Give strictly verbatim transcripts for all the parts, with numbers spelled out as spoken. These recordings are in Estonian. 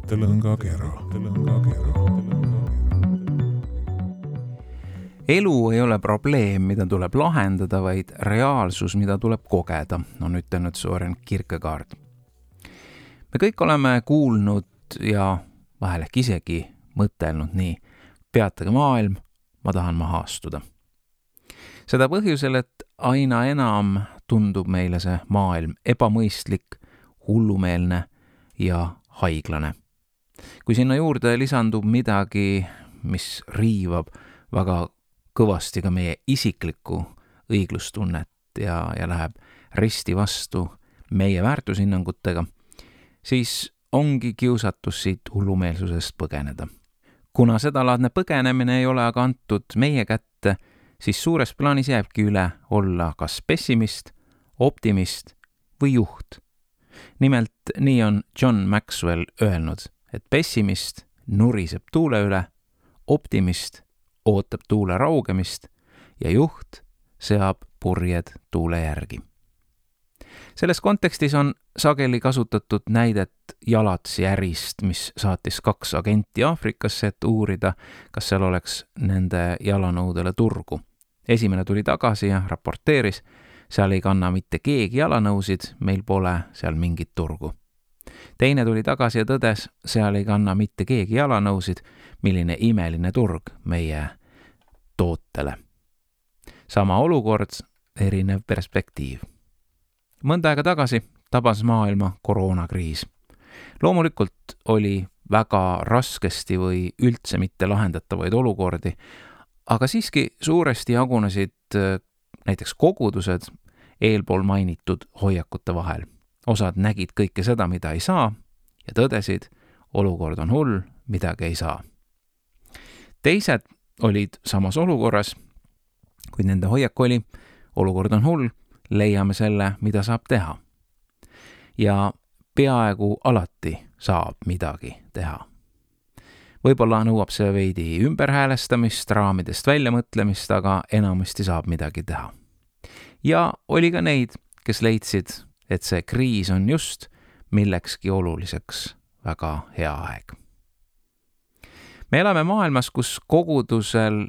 mõttelõngakera. Elu ei ole probleem, mida tuleb lahendada, vaid reaalsus, mida tuleb kogeda, on ütelnud Søren Kierkegaard. Me kõik oleme kuulnud ja vahel ehk isegi mõtelnud nii, peatage maailm, ma tahan maha astuda. Seda põhjusel, et aina enam tundub meile see maailm ebamõistlik, hullumeelne ja haiglane. Kui sinna juurde lisandub midagi, mis riivab väga kõvasti ka meie isiklikku õiglustunnet ja, ja läheb risti vastu meie väärtushinnangutega, siis ongi kiusatus siit hullumeelsusest põgeneda. Kuna sedalaadne põgenemine ei ole aga antud meie kätte, siis suures plaanis jääbki üle olla kas pessimist, optimist või juht. Nimelt nii on John Maxwell öelnud, et pessimist nuriseb tuule üle, optimist ootab tuule raugemist ja juht seab purjed tuule järgi. Selles kontekstis on sageli kasutatud näidet Jalatsi ärist, mis saatis kaks agenti Aafrikasse, et uurida, kas seal oleks nende jalanõudele turgu. Esimene tuli tagasi ja raporteeris, seal ei kanna mitte keegi jalanõusid, meil pole seal mingit turgu. Teine tuli tagasi ja tõdes, seal ei kanna mitte keegi jalanõusid, milline imeline turg meie tootele. Sama olukord, erinev perspektiiv. Mõnda aega tagasi tabas maailma koroonakriis. Loomulikult oli väga raskesti või üldse mitte lahendatavaid olukordi, aga siiski suuresti jagunesid näiteks kogudused eelpool mainitud hoiakute vahel. Osad nägid kõike seda, mida ei saa ja tõdesid, olukord on hull, midagi ei saa. Teised olid samas olukorras, kuid nende hoiak oli, olukord on hull, leiame selle, mida saab teha. Ja peaaegu alati saab midagi teha. Võib-olla nõuab see veidi ümberhäälestamist, raamidest väljamõtlemist, aga enamasti saab midagi teha. Ja oli ka neid, kes leidsid, et see kriis on just millekski oluliseks väga hea aeg. Me elame maailmas, kus kogudusel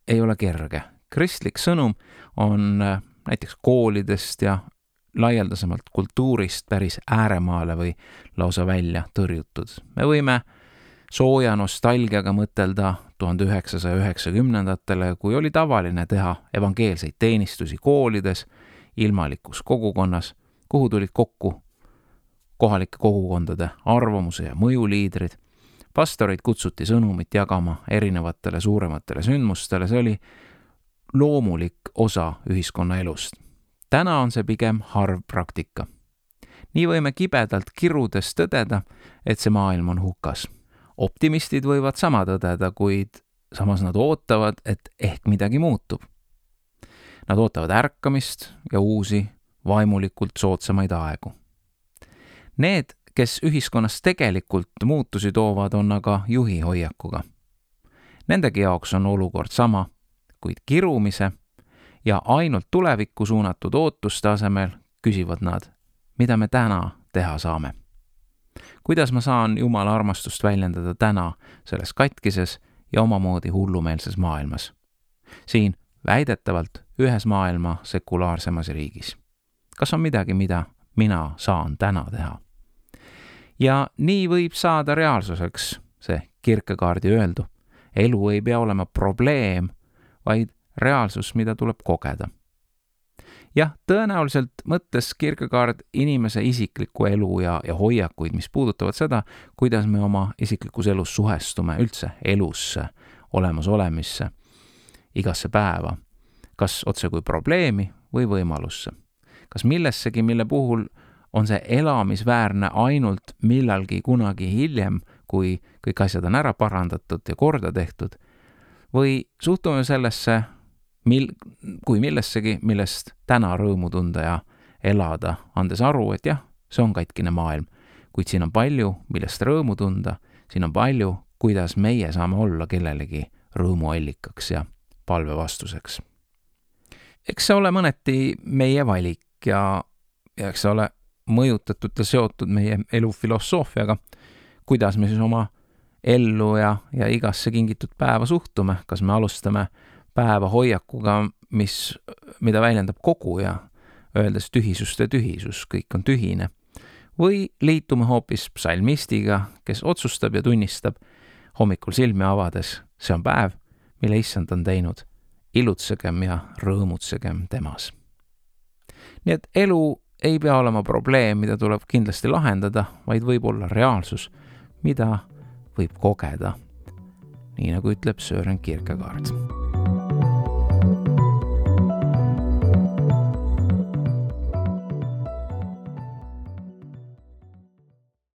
ei ole kerge. Kristlik sõnum on näiteks koolidest ja laialdasemalt kultuurist päris ääremaale või lausa välja tõrjutud. Me võime sooja nostalgiaga mõtelda tuhande üheksasaja üheksakümnendatele, kui oli tavaline teha evangeelseid teenistusi koolides, ilmalikus kogukonnas, kuhu tulid kokku kohalike kogukondade arvamuse ja mõjuliidrid. Pastorid kutsuti sõnumit jagama erinevatele suurematele sündmustele, see oli loomulik osa ühiskonna elust. Täna on see pigem harv praktika. Nii võime kibedalt kirudes tõdeda, et see maailm on hukas. Optimistid võivad sama tõdeda, kuid samas nad ootavad, et ehk midagi muutub. Nad ootavad ärkamist ja uusi, vaimulikult soodsamaid aegu. Need, kes ühiskonnas tegelikult muutusi toovad, on aga juhi hoiakuga. Nendegi jaoks on olukord sama, kuid kirumise ja ainult tulevikku suunatud ootuste asemel küsivad nad, mida me täna teha saame. Kuidas ma saan Jumala armastust väljendada täna selles katkises ja omamoodi hullumeelses maailmas? Siin väidetavalt ühes maailma sekulaarsemas riigis. Kas on midagi, mida mina saan täna teha? Ja nii võib saada reaalsuseks see Kierkegaardi öeldu. Elu ei pea olema probleem, vaid reaalsus, mida tuleb kogeda. Jah, tõenäoliselt mõttes Kierkegaard inimese isiklikku elu ja, ja hoiakuid, mis puudutavad seda, kuidas me oma isiklikus elus suhestume üldse elusse, olemasolemisse, igasse päeva, kas otse kui probleemi või võimalusse. Kas millessegi, mille puhul on see elamisväärne ainult millalgi kunagi hiljem, kui kõik asjad on ära parandatud ja korda tehtud, või suhtume sellesse Mil, kui millessegi, millest täna rõõmu tunda ja elada, andes aru, et jah, see on katkine maailm, kuid siin on palju, millest rõõmu tunda, siin on palju, kuidas meie saame olla kellelegi rõõmuallikaks ja palve vastuseks. Eks see ole mõneti meie valik ja, ja eks see ole mõjutatud ja seotud meie elu filosoofiaga, kuidas me siis oma ellu ja, ja igasse kingitud päeva suhtume, kas me alustame päeva hoiakuga, mis, mida väljendab kogu ja öeldes tühisuste tühisus, kõik on tühine. Või liitume hoopis psalmistiga, kes otsustab ja tunnistab hommikul silmi avades, see on päev, mille issand on teinud, ilutsegem ja rõõmutsegem temas. Nii et elu ei pea olema probleem, mida tuleb kindlasti lahendada, vaid võib olla reaalsus, mida võib kogeda, nii nagu ütleb Søren Kierkegaard.